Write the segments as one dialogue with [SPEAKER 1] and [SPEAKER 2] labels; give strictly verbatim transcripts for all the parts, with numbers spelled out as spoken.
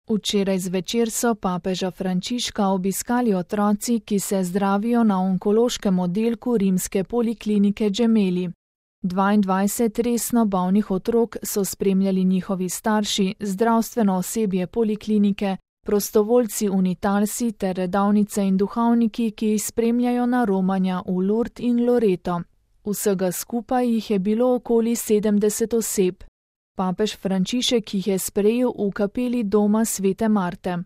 [SPEAKER 1] Včeraj zvečer so papeža Frančiška obiskali otroci, ki se zdravijo na onkološkem oddelku rimske poliklinike Gemelli. dvaindvajset resno bolnih otrok so spremljali njihovi starši, zdravstveno osebje poliklinike, prostovoljci unitalsi ter redovnice in duhovniki, ki jih spremljajo na romanja v Lourdes in Loreto. Vsega skupaj jih je bilo okoli sedemdeset oseb. Papež Frančišek jih je sprejel v kapeli doma svete Marte.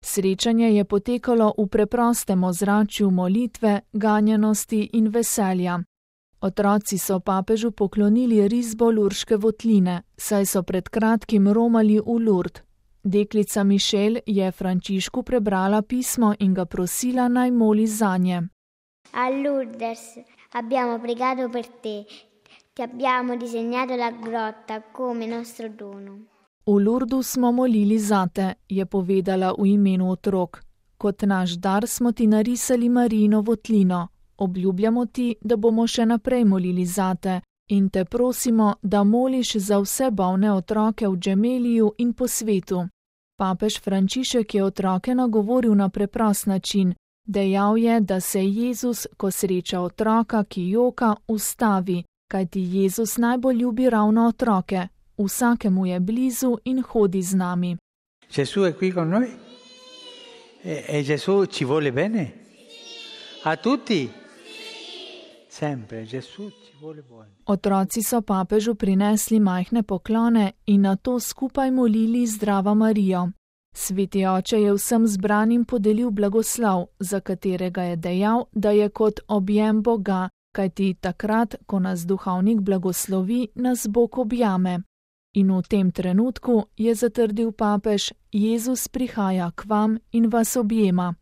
[SPEAKER 1] Srečanje je potekalo v preprostem ozračju molitve, ganjenosti in veselja. Otroci so papežu poklonili risbo lurške votline, saj so pred kratkim romali v Lourdes. Deklica Mišel je Frančišku prebrala pismo in ga prosila, naj moli zanje.
[SPEAKER 2] A Lourdes abbiamo pregato per te. Ti abbiamo disegnato la grotta come nostro dono.
[SPEAKER 1] V Lourdu smo molili zate, je povedala v imenu otrok. Kot naš dar smo ti narisali Marijino votlino. Obljubljamo ti, da bomo še naprej molili zate in te prosimo, da moliš za vse bolne otroke v Gemelliju in po svetu. Papež Frančišek je otroke nagovoril na preprost način. Dejal je, da se Jezus, ko sreča otroka, ki joka, ustavi, kajti Jezus najbolj ljubi ravno otroke. Vsakemu je blizu in hodi z nami.
[SPEAKER 3] Gesù è qui con noi? E, e Gesù ci vuole bene? A tutti? Sempre, Gesù ci vuole bene.
[SPEAKER 1] Otroci so papežu prinesli majhne poklone in nato skupaj molili Zdrava Marijo. Sveti oče je vsem zbranim podelil blagoslov, za katerega je dejal, da je kot objem Boga, kajti takrat, ko nas duhovnik blagoslovi, nas Bog objame. In v tem trenutku, je zatrdil papež, Jezus prihaja k vam in vas objema.